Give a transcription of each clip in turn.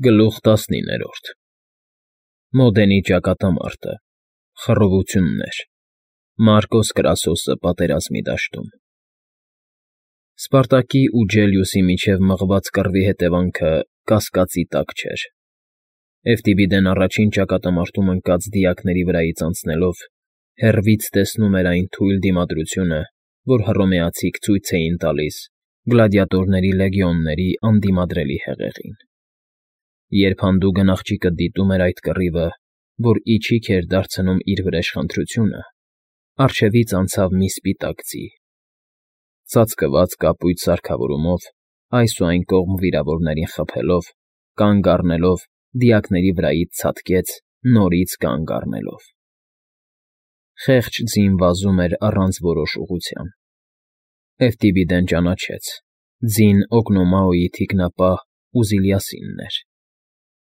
Գլուխ 19 Մոդենի ճակատամարտը, խռովություններ, Մարկոս Կրասոսը պատերազմի դաշտում։ Սպարտակի ու Գելիուսի միջև մղված կռվի հետևանքը կասկածի տակ չէր։ Էվտիբիդեն առաջին ճակատամարտում ընկած դիակների վրայից անցնելով հեռվից տեսնում էր այն թույլ դիմադրությունը, որ հռոմեացիք ցույց էին տալիս գլադիատորների լեգիոնների անդիմադրելի հեղեղին։ Երբ հանդուգն աղջիկը դիտում էր այդ կռիվը, որ իջիք էր դարձնում իր վրեժ խնդրությունը, առջևից անցավ մի սպիտակ ձի։ Ծածկված կապույտ սարքավորումով, այս ու այն կողմ վիրավորներին խփելով, կանգ առնելով, դիակների վրայից ցատկեց, նորից կանգ առնելով։ Խեղճ ձին վազում էր առանց որոշ ուղղության։ Էվտիբիդեն ճանաչեց. ձին Օգնոմաոյի թիկնապահ Ուզիլիասինն էր,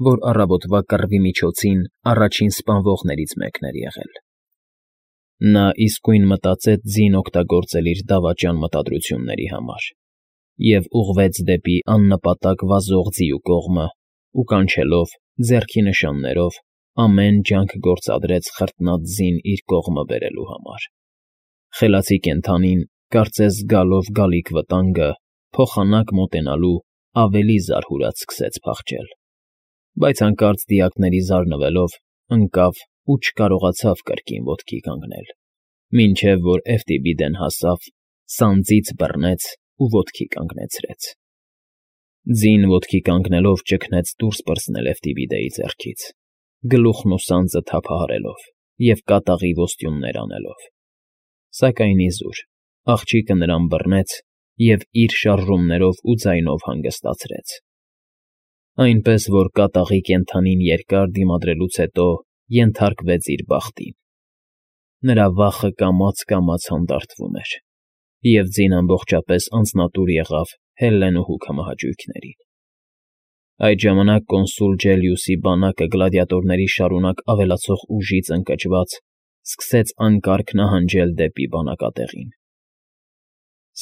որ առավոտվա կռվի միջոցին առաջին սպանվողներից մեկն էր եղել։ Նա իսկույն մտածեց ձին օգտագործել իր դավաճան մտադրությունների համար և ուղղվեց դեպի աննպատակ վազող ձիու կողմը ու կանչելով, ձեռքի նշաններով, ամեն ջանք գործադրեց խրտնած ձին իր կողմը բերելու համար։ Խելացի կենդանին, կարծես զգալով գալիք վտանգը, փոխանակ մոտենալու ավելի զարհուրած սկսեց փախչել, բայց հանկարծ դիակների զարնվելով ընկավ ու չկարողացավ կրկին ոտքի կանգնել, մինչև որ Էվտիբիդեն հասավ, սանձից բռնեց ու ոտքի կանգնեցրեց։ Ձին ոտքի կանգնելով ճգնեց դուրս պրծնել Էվտիբիդեի ձեռքից, գլուխն ու սանձը թափահարելով և կատաղի ոստյուններ անելով։ Սակայն իզուր, աղջիկը նրան բռնեց և իր շարժումներով ու ձայնով հանգստացրեց, այնպես որ կատաղի կենդանին երկար դիմադրելուց հետո ենթարկվեց իր բախտին։ Նրա վախը կամաց֊կամաց հանդարտվում էր, և ձին ամբողջապես անձնատուր եղավ Հելլենուհու քմահաճույքներին։ Այդ ժամանակ կոնսուլ Գելիուսի բանակը գլադիատորների շարունակ ավելացող ուժից ընկճված սկսեց անկարգ նահանջել դեպի բանակատեղին։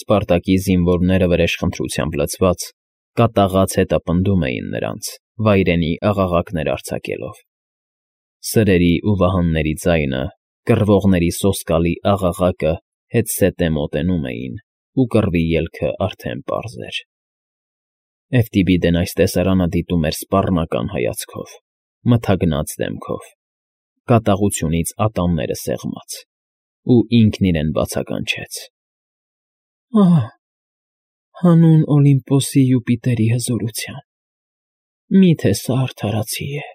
Սպարտակի զինվորները վրեժխնդրությամբ լցված, կատաղած հետապնդում էին նրանց, վայրենի աղաղակներ արձակելով։ Սրերի ու վահանների ձայնը, կռվողների սոսկալի աղաղակը հետզհետե մոտենում էին, ու կռվի ելքը արդեն պարզ էր։ Էվտիբիդեն այս տեսարանը դիտում էր սպառնական հայացքով, մթագնած դեմքով, կատաղությունից ատամները սեղմած, ու ինքն իրեն բացականչեց. «Ահ, հանուն Օլիմպոսի Յուպիտերի հզորության, մի՞թե սա արդարացի է։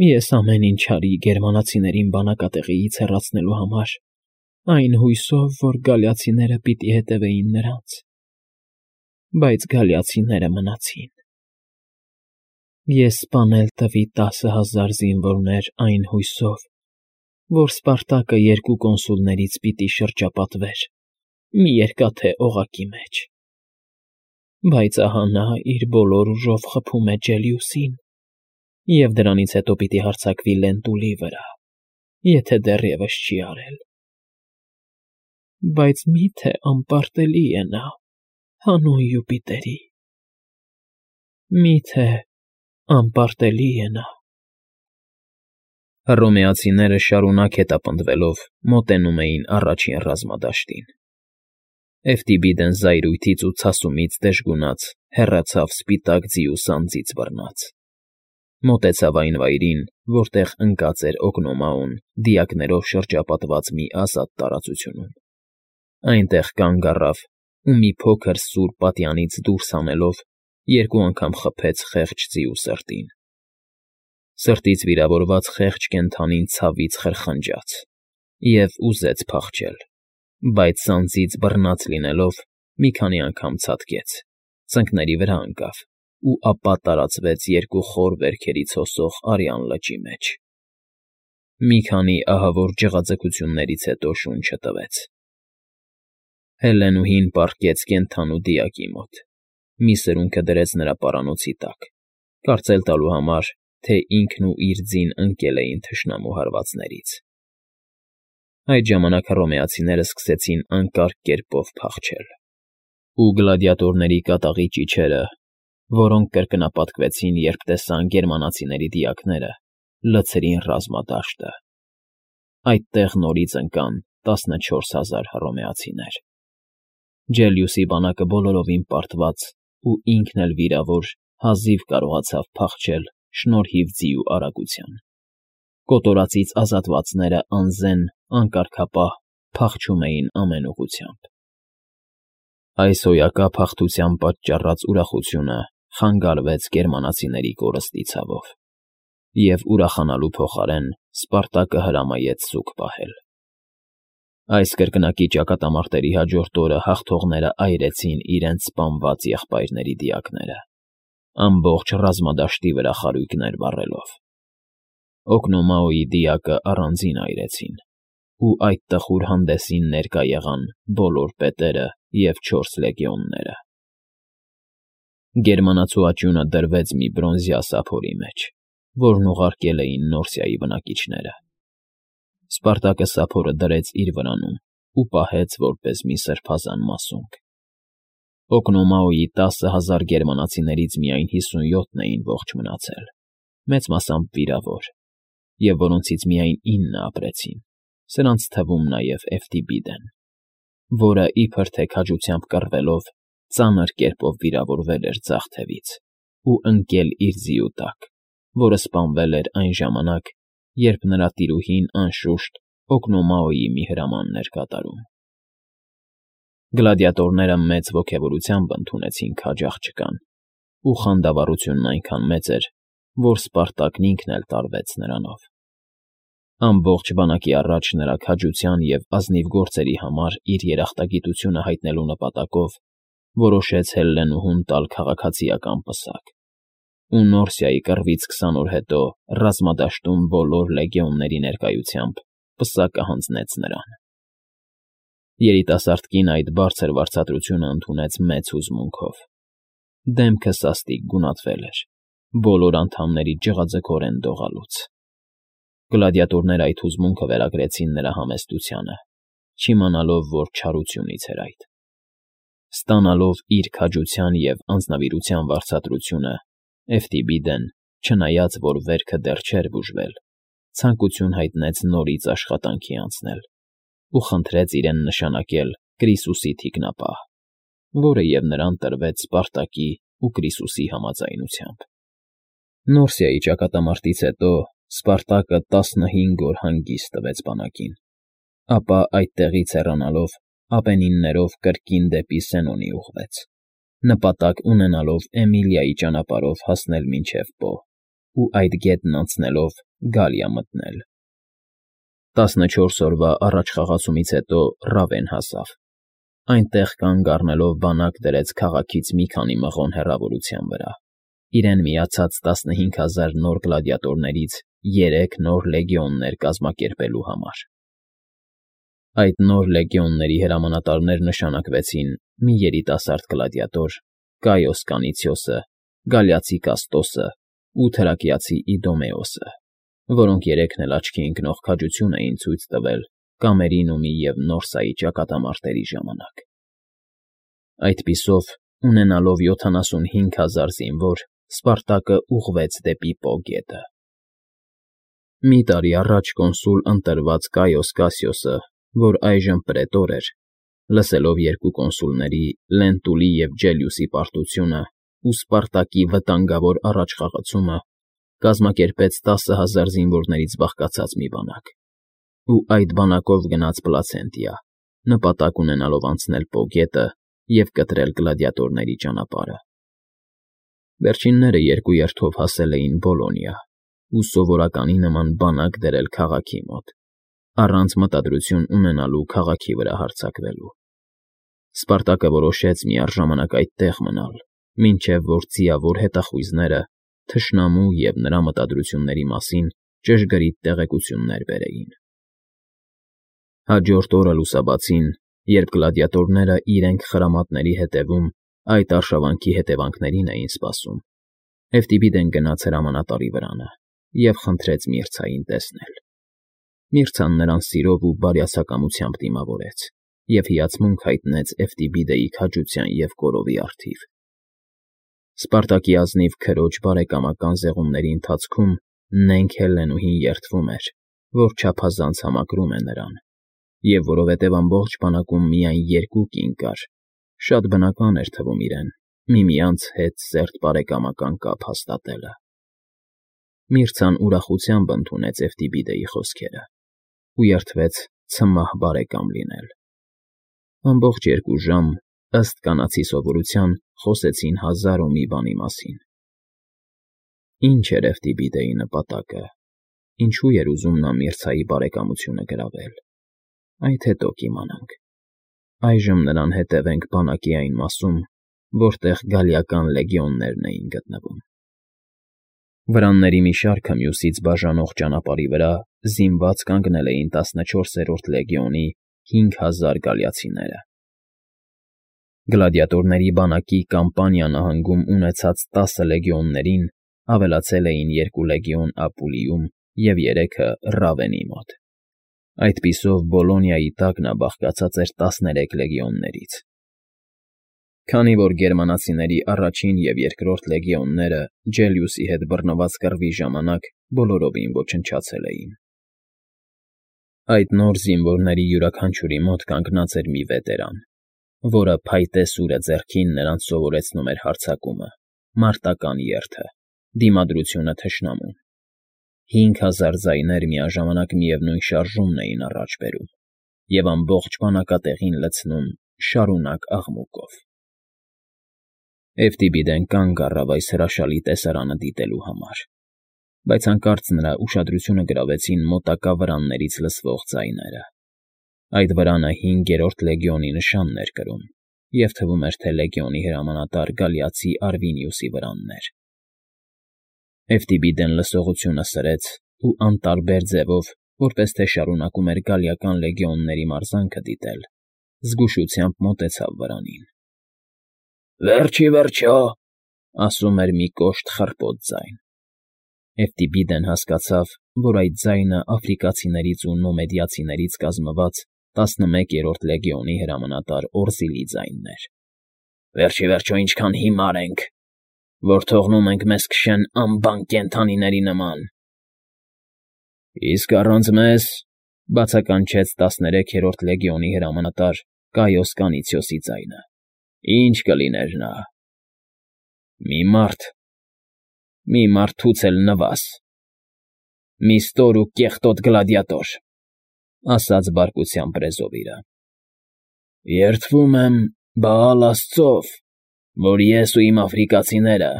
Ես ամեն ինչ արի գերմանացիներին բանակատեղիից հեռացնելու համար, այն հույսով, որ գալիացիները պիտի հետևեին նրանց, բայց գալիացիները մնացին։ Ես սպանել տվի 10,000 զինվորներ այն հույսով, որ Սպարտակը երկու կոնսուլներից պիտի շրջապատվեր մի երկաթե օղակի մեջ։ Բայց ահա նա իր բոլոր ուժով խփում է Գելիուսին, և դրանից հետո պիտի հարձակվի Լենտուլի վրա, եթե դեռևս չի արել։ Բայց մի՞թե անպարտելի է նա, հանուն Յուպիտերի, մի՞թե անպարտելի է նա»։ Հռոմեացիները շարունակ հետապնդվելով մոտենում էին առաջին ռազմադաշտին։ Էվտիբիդեն զայրույթից ու ցասումից դժգունած հեռացավ սպիտակ ձիու սանձից բռնած։ Մոտեցավ այն վայրին, որտեղ ընկած էր Օգնոմաոն դիակներով շրջապատված մի ազատ տարածությունում։ Այնտեղ կանգ առավ ու մի փոքր սուր պատյանից դուրս հանելով երկու անգամ խփեց խեղճ ձիու սրտին։ Սրտից վիրավորված խեղճ կենդանին ցավից խրխնջաց և ուզեց փախչել, բայց սանձից բռնած լինելով մի քանի անգամ ցատկեց, ծնկների վրա ընկավ ու ապա տարածվեց երկու խոր վերքերից հոսող արյան լճի մեջ։ Մի քանի ահավոր ջղաձգություններից հետո շունչը տվեց։ Հելլենուհին պառկեց կենդանու դիակի մոտ, մի սրունքը դրեց նրա պարանոցի տակ, կարծել տալու համար, թե ինքն ու իր ձին ընկել էին թշնամու հարվածներից։ Այդ ժամանակ հռոմեացիները սկսեցին անկարգ կերպով փախչել, ու գլադիատորների կատաղի ճիչերը որոնք կրկնապատկվեցին, երբ տեսան գերմանացիների դիակները, լցրին ռազմադաշտը։ Այդտեղ նորից ընկան 14,000 հռոմեացիներ։ Ջելիուսի բանակը բոլորովին պարտված ու ինքն էլ վիրավոր հազիվ կարողացավ փախչել շնորհիվ ձիու արագության։ Կոտորածից ազատվածները անզեն, անկարգապահ փախչում էին ամեն ուղղությամբ։ Այս հոյակապ հաղթության պատճառած ուրախությունը խանգարվեց գերմանացիների կորստի ցավով, և ուրախանալու փոխարեն Սպարտակը հրամայեց սուգ պահել։ Այս կրկնակի ճակատամարտերի հաջորդ օրը հաղթողները այրեցին իրենց սպանված եղբայրների դիակները, ամբողջ ռազմադաշտի վրա խարույկներ վառելով։ Օկնոմաոյի դիակը առանձին այրեցին, ու այդ տխուր հանդեսին ներկա եղան բոլոր պետերը և 4 լեգիոնները։ Գերմանացու աճյունը դրվեց մի բրոնզյա սափորի մեջ, որն ուղարկել էին Նորսիայի բնակիչները։ Սպարտակը սափորը դրեց իր վրանում ու պահեց որպես մի սրբազան մասունք։ Օկնոմաոյի 10,000 գերմանացիներից միայն 57-ն էին ողջ մնացել, մեծ մասամբ վիրավոր, և որոնցից միայն 9-ը ապրեցին, սրանց թվում նաև Էվտիբիդեն, որը իբր թե քաջությամբ կռվելով ծանր կերպով վիրավորվել էր ձախ թևից ու ընկել իր ձիու տակ, որը սպանվել էր այն ժամանակ, երբ նրա տիրուհին անշուշտ Օկնոմաոյի մի հրամանն էր կատարում։ Գլադիատորները մեծ ոգևորությամբ ընդունեցին քաջ աղջկան, ու խանդավառությունն այնքան մեծ էր, որ Սպարտակն ինքն էլ տարվեց նրանով։ Ամբողջ բանակի առաջ նրա քաջության և ազնիվ գործերի համար իր երախտագիտությունը հայտնելու նպատակով որոշեց Հելլենուհուն տալ քաղաքացիական պսակ, ու Նորսիայի կռվից 20 օր հետո ռազմադաշտում բոլոր լեգիոնների ներկայությամբ պսակը հանձնեց նրան։ Երիտասարդ կինը այդ բարձր վարձատրությունը ընդունեց մեծ հուզմունքով։ Դեմքը սաստիկ գունատվել էր, բոլոր անդամների ջղաձգորեն դողալուց։ Գլադիատորները այդ հուզմունքը վերագրեցին նրա համեստությանը, չիմանալով, որ չարությունից էր այդ։ Ստանալով իր քաջության և անձնավիրության վարձատրությունը, Էվտիբիդեն, չնայած որ վերքը դեռ չէր բուժվել, ցանկություն հայտնեց նորից աշխատանքի անցնել ու խնդրեց իրեն նշանակել Կրիսուսի թիկնապահ, որը և նրան տրվեց Սպարտակի ու Կրիսուսի համաձայնությամբ։ Նորսիայի ճակատամարտից հետո Սպարտակը 15 օր հանգիստ տվեց բանակին, ապա այդտեղից հեռանալով Ապենիններով կրկին դեպի Սենոնի ուղղվեց, նպատակ ունենալով Էմիլիայի ճանապարհով հասնել մինչև Պո ու այդ գետն անցնելով Գալիա մտնել։ 14 օրվա առաջխաղացումից հետո Ռավեն հասավ։ Այնտեղ կանգ առնելով բանակ դրեց քաղաքից մի քանի մղոն հեռավորության վրա, իրեն միացած 15,000 նոր գլադիատորներից 3 նոր լեգիոններ կազմակերպելու համար։ Այդ նոր լեգիոնների հրամանատարներ նշանակվեցին մի երիտասարդ գլադիատոր Կայոս Կանիցիոսը, գալիացի Կաստոսը ու թրակիացի Իդոմեոսը, որոնք երեքն էլ աչքի ընկնող քաջություն էին ցույց տվել Կամերինումի և Նորսայի ճակատամարտերի ժամանակ։ Այդպիսով, ունենալով 75,000 զինվոր, Սպարտակը ուղղվեց դեպի Պո գետը։ Մի տարի առաջ կոնսուլ ընտրված Կայոս Կասիոսը, որ այժմ պրետոր էր, լսելով երկու կոնսուլների՝ Լենտուլի և Ջելիուսի պարտությունը ու Սպարտակի վտանգավոր առաջխաղացումը, կազմակերպեց 10,000 զինվորներից բաղկացած մի բանակ, ու այդ բանակով գնաց Պլացենտիա, նպատակ ունենալով անցնել Պո գետը և կտրել գլադիատորների ճանապարհը։ Վերջինները երկու երթով հասել էին Բոլոնիա ու սովորականի նման բանակ դրել քաղաքի մոտ, առանց մտադրություն ունենալու քաղաքի վրա հարձակվելու։ Սպարտակը որոշեց միառժամանակ այդտեղ մնալ, մինչև որ ձիավոր հետախույզները թշնամու և նրա մտադրությունների մասին ճշգրիտ տեղեկություններ բերեին։ Հաջորդ օրը լուսաբացին, երբ գլադիատորները իրենք խրամատների հետևում այդ արշավանքի հետևանքներին էին սպասում, Էվտիբիդեն գնաց հրամանատարի վրանը և խնդրեց Միրցային տեսնել։ Միրցան նրան սիրով ու բարյացակամությամբ դիմավորեց և հիացմունք հայտնեց Էվտիբիդեի քաջության և կորովի առթիվ։ Սպարտակի ազնիվ քրոջ բարեկամական զեղումների ընթացքում նենգ Հելենուհին երդվում էր, որ չափազանց համակրում է նրան, և որովհետև ամբողջ բանակում միայն երկու կին կար, շատ բնական էր թվում իրեն միմյանց հետ սերտ բարեկամական կապ հաստատելը։ Միրցան ուրախությամբ ընդունեց Էվտիբիդեի խոսքերը ու երդվեց ցմահ բարեկամ լինել։ Ամբողջ 2 ժամ, ըստ կանացի սովորության, խոսեցին հազար ու մի բանի մասին։ Ինչ էր Էվտիբիդեի նպատակը, ինչու էր ուզում նա Միրցայի բարեկամությունը գրավել, այդ հետո կիմանանք։ Այժմ նրան հետևենք բանակի այն մասում, որտեղ գալիական լեգիոններն էին գտնվում։ Վրանների մի շարքը մյուսից բաժանող ճանապարհի վրա զինված կանգնել էին 14-րդ լեգիոնի 5000 գալիացիները։ Գլադիատորների բանակի Կամպանիա նահանգում ունեցած 10 լեգիոններին ավելացել էին 2 լեգիոն Ապուլիում և 3-ը Ռավենի մոտ։ Այդպիսով Բոլոնիայի տակ նա բաղկացած էր 13 լեգիոններից։ Քանի որ գերմանացիների առաջին և երկրորդ լեգիոնները Ջելիուսի հետ բռնված կռվի ժամանակ բոլորովին ոչնչացել էին։ Այդ նոր զինվորների յուրաքանչյուրի մոտ կանգնած էր մի վետերան, որը փայտե սուրը ձեռքին նրանց սովորեցնում էր հարձակումը, մարտական երթը, դիմադրությունը թշնամուն։ 5000 ձայներ միաժամանակ միևնույն շարժումն էին առաջ բերում և ամբողջ բանակատեղին լցնում շարունակ աղմուկով։ Էվտիբիդեն կանգ առավ այս հրաշալի տեսարանը դիտելու համար, բայց հանկարծ նրա ուշադրությունը գրավեցին մոտակա վրաններից լսվող ձայները։ Այդ վրանը 5-րդ լեգիոնի նշանն էր կրում, և թվում էր, թե լեգիոնի հրամանատար Գալիացի Արվինիուսի վրանն էր։ Էվտիբիդեն լսողությունը սրեց ու անտարբեր ձևով, որպես թե շարունակում էր գալիական լեգիոնների մարզանքը դիտել, զգուշությամբ մոտեցավ վրանին։ «Վերջ ի վերջո», ասում էր մի կոշտ խռպոտ ձայն։ Էվտիբիդեն հասկացավ, որ այդ ձայնը աֆրիկացիներից ու նոմեդիացիներից կազմված 11-րդ լեգիոնի հրամանատար Օրզիլի ձայնն էր։ «Վերջ ի վերջո ինչքան հիմար ենք, որ թողնում ենք մեզ քշեն անբան կենդանիների նման»։ «Իսկ առանց մեզ,֊ բացականչեց 13-րդ լեգիոնի հրամանատար Կայոս Կանիցիոսի ձայնը,֊ ինչ կլիներ նա»։ Մի մարդուց էլ նվազ, մի ստոր ու կեղտոտ գլադիատոր,֊ ասաց բարկությամբ Բրեզովիլը։ «Երդվում եմ Բաալ աստծով, որ ես ու իմ աֆրիկացիները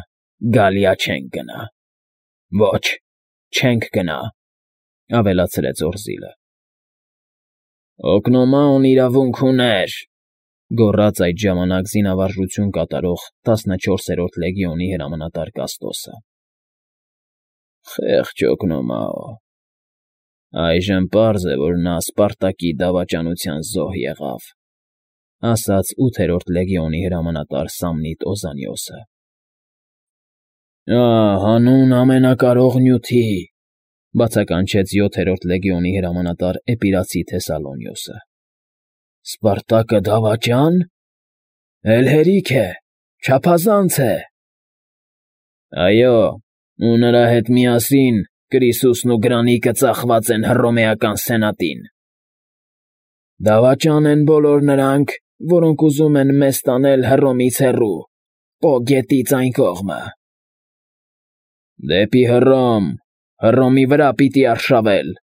Գալիա չենք գնա։ Ոչ, չենք գնա», ավելացրեց Օրզիլը։ «Օկնոմաոն իրավունք ուներ,֊ գոռաց այդ ժամանակ զինավարժություն կատարող 14-րդ լեգիոնի հրամանատար Կաստոսը։ «Խեղճ Օկնոմաո… Այժմ պարզ է, որ նա Սպարտակի դավաճանության զոհ եղավ»,֊ ասաց 8-րդ լեգիոնի հրամանատար Սամնիտ Օզանիոսը։ Հանուն ամենակարող նյութի,֊ բացականչեց 7-րդ լեգիոնի հրամանատար Էպիրացի Թեսալոնիոսը։ «Սպարտակը դավաճա՞ն… Էլ հերիք է, չափազանց է»։ «Այո, ու նրա հետ միասին Կրիսուսն ու Գրանիկը ծախված են Հռոմեական սենատին։ Դավաճան են բոլոր նրանք, որոնք ուզում են մեզ տանել Հռոմից հեռու, Պո գետից այն կողմը։ Դեպի Հռոմ, Հռոմի վրա պիտի արշավել»։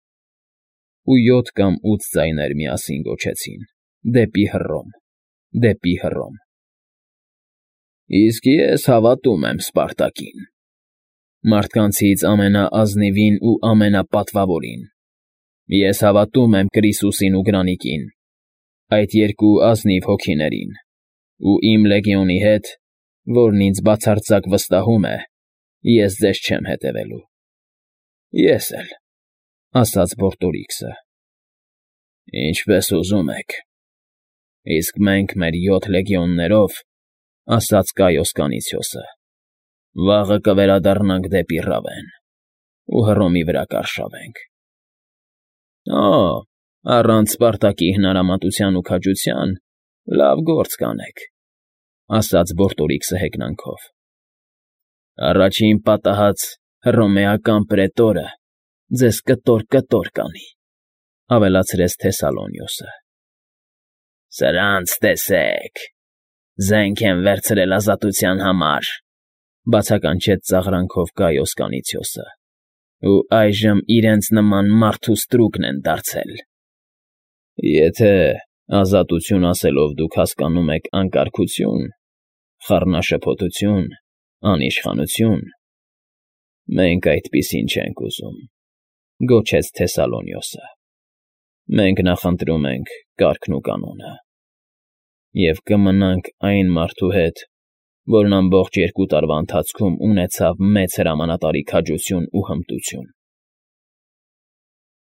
Ու 7 կամ 8 ձայներ միասին գոչեցին. «Դեպի Հռոմ, դեպի Հռոմ»։ «Իսկ ես հավատում եմ Սպարտակին, մարդկանցից ամենաազնիվին ու ամենապատվավորին։ Ես հավատում եմ Կրիսուսին ու Գրանիկին, այդ երկու ազնիվ հոգիներին, ու իմ լեգիոնի հետ, որն ինձ բացարձակ վստահում է, ես ձեզ չեմ հետևելու»։ «Ես էլ,֊ ասաց Բորտորիքսը։ «Ինչպես ուզում եք։ Իսկ մենք մեր 7 լեգիոններով,֊ ասաց Կայոս Կանիցիոսը,֊ վաղը կվերադառնանք դեպի Ռավեն ու Հռոմի վրա կարշավենք»։ «Օ՜, առանց Սպարտակի հնարամատության ու քաջության լավ գործ կանեք,֊ ասաց Բորտորիքսը հեգնանքով։ Առաջին պատահած հռոմեական պրետորը ձեզ կտոր կանի, ավելացրեց Թեսալոնիոսը։ Սրանց տեսեք, զենք են վերցրել ազատության համար, բացականչեց ծաղրանքով Գայոս Կանիցիոսը, ու այժմ իրենց նման մարդու ստրուկն են դարձել։ Եթե ազատություն ասելով դուք հասկանում եք անկարգություն, խառնաշփոթություն, անիշխանություն, մենք այդպիսին չենք ուզում, գոչեց Թեսալոնիոսը։ Մենք նախընտրում ենք կարգն ու կանոնը, և կմնանք այն մարդու հետ, որն ամբողջ 2 տարվա ընթացքում ունեցավ մեծ հրամանատարի քաջություն ու հմտություն։